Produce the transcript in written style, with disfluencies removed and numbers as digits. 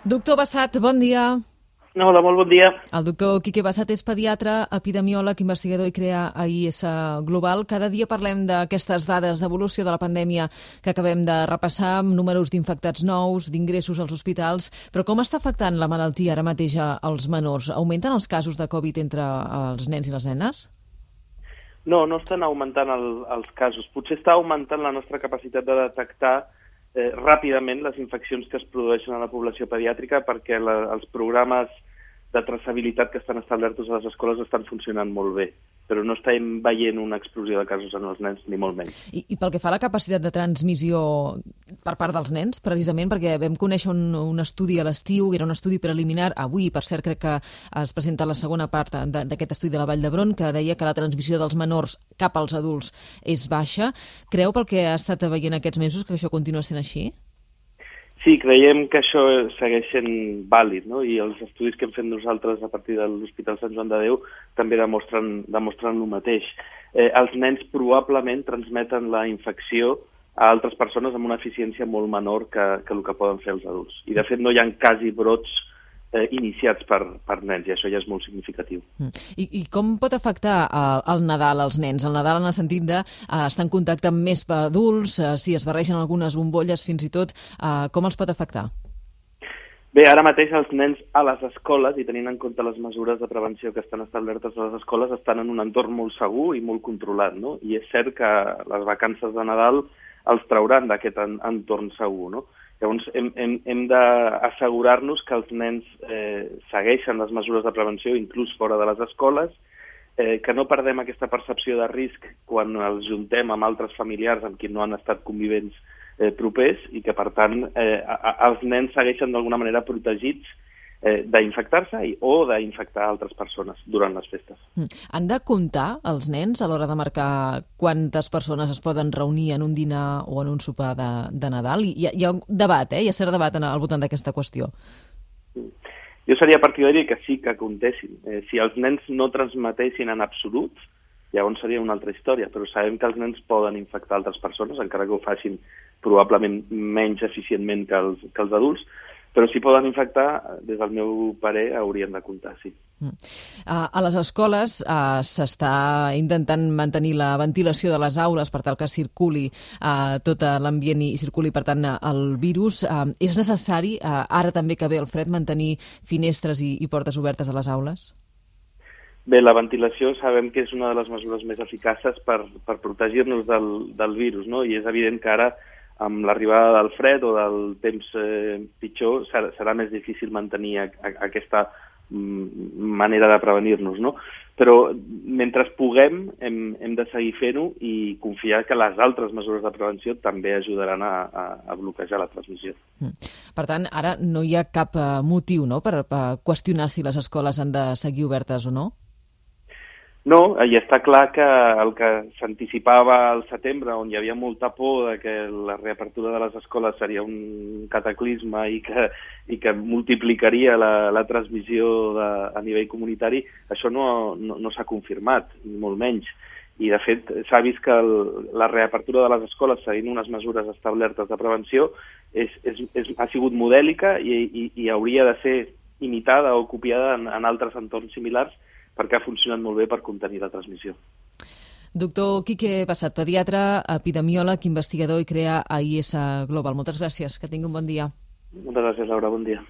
Doctor Bassat, bon dia. Hola, molt bon dia. El doctor Quique Bassat és pediatre, epidemiòleg, investigador i crea AIS Global. Cada dia parlem d'aquestes dades d'evolució de la pandèmia que acabem de repassar, amb números d'infectats nous, d'ingressos als hospitals. Però com està afectant la malaltia ara mateix als menors? Augmenten els casos de Covid entre els nens i les nenes? No estan augmentant els casos. Potser està augmentant la nostra capacitat de detectar ràpidament les infeccions que es produeixen a la població pediàtrica perquè els programes de traçabilitat que estan establerts a les escoles estan funcionant molt bé, però no estem veient una explosió de casos en els nens, ni molt menys. I pel que fa a la capacitat de transmissió per part dels nens, precisament perquè vam conèixer un estudi a l'estiu, era un estudi preliminar, avui, per cert, crec que es presenta la segona part d'aquest estudi de la Vall d'Hebron, que deia que la transmissió dels menors cap als adults és baixa. Creu, pel que ha estat veient aquests mesos, que això continua sent així? Sí, creiem que això segueix sent vàlid, no? I els estudis que hem fet nosaltres a partir de l'Hospital Sant Joan de Déu també demostren el mateix. Els nens probablement transmeten la infecció a altres persones amb una eficiència molt menor que el que poden fer els adults. I, de fet, no hi ha quasi brots iniciats per nens, i això ja és molt significatiu. I com pot afectar el Nadal als nens? El Nadal en el sentit d'estar en contacte amb més adults, si es barregen algunes bombolles fins i tot, com els pot afectar? Bé, ara mateix els nens a les escoles, i tenint en compte les mesures de prevenció que estan establertes a les escoles, estan en un entorn molt segur i molt controlat, no? I és cert que les vacances de Nadal els trauran d'aquest entorn segur, no? Llavors, hem d'assegurar-nos que els nens segueixen les mesures de prevenció, inclús fora de les escoles, que no perdem aquesta percepció de risc quan els juntem amb altres familiars amb qui no han estat convivents propers i que, per tant, els nens segueixen d'alguna manera protegits d'infectar-se o d'infectar altres persones durant les festes. Han de comptar els nens a l'hora de marcar quantes persones es poden reunir en un dinar o en un sopar de Nadal? Hi ha un debat, hi ha cert debat al voltant d'aquesta qüestió. Jo seria partidari que sí que comptessin. Si els nens no transmetessin en absolut, llavors seria una altra història, però sabem que els nens poden infectar altres persones, encara que ho facin probablement menys eficientment que els adults, però si poden infectar, des del meu parer, haurien de comptar, sí. A les escoles s'està intentant mantenir la ventilació de les aules per tal que circuli tot l'ambient i circuli, per tant, el virus. És necessari, ara també que ve el fred, mantenir finestres i portes obertes a les aules? Bé, la ventilació sabem que és una de les mesures més eficaces per protegir-nos del virus, no? I és evident que ara, amb l'arribada del fred o del temps pitjor, serà més difícil mantenir aquesta manera de prevenir-nos, no? Però mentre puguem hem de seguir fent-ho i confiar que les altres mesures de prevenció també ajudaran a bloquejar la transmissió. Per tant, ara no hi ha cap motiu, no?, per qüestionar si les escoles han de seguir obertes o no? No, i està clar que el que s'anticipava al setembre, on hi havia molta por de que la reapertura de les escoles seria un cataclisme i que multiplicaria la transmissió a nivell comunitari, això no s'ha confirmat, ni molt menys. I, de fet, s'ha vist que la reapertura de les escoles, seguint unes mesures establertes de prevenció, ha sigut modèlica i hauria de ser imitada o copiada en altres entorns similars, perquè ha funcionat molt bé per contenir la transmissió. Doctor Quique Bassat, pediatre, epidemiòleg, investigador i crea AIS Global. Moltes gràcies, que tingui un bon dia. Moltes gràcies, Laura, bon dia.